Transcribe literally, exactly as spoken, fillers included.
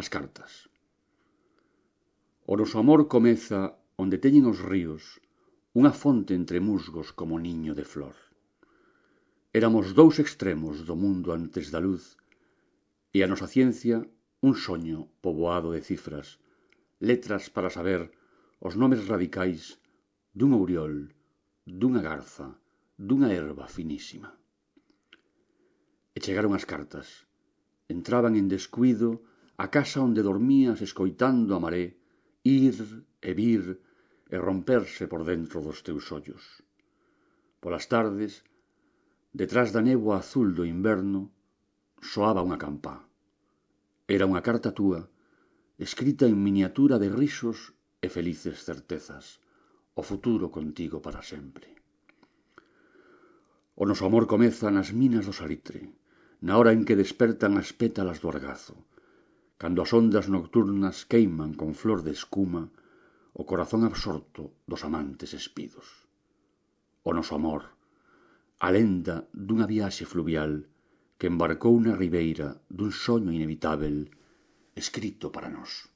As cartas. O noso amor comeza onde teñen os ríos unha fonte entre musgos como niño de flor. Éramos dous extremos do mundo antes da luz, e a nosa ciencia un soño poboado de cifras, letras para saber os nomes radicais dun ouriol, dunha garza, dunha herba finísima. E chegaron as cartas. Entraban en descuido a casa onde dormías escoitando a maré ir e vir e romperse por dentro dos teus ollos. Polas tardes, detrás da néboa azul do inverno, soaba unha campá. Era unha carta túa, escrita en miniatura de risos e felices certezas, o futuro contigo para sempre. O noso amor comeza nas minas do salitre, na hora en que despertan as pétalas do argazo, cando as ondas nocturnas queiman con flor de escuma o corazón absorto dos amantes espidos. O noso amor, a lenda dunha viaxe fluvial que embarcou na ribeira dun soño inevitável escrito para nós.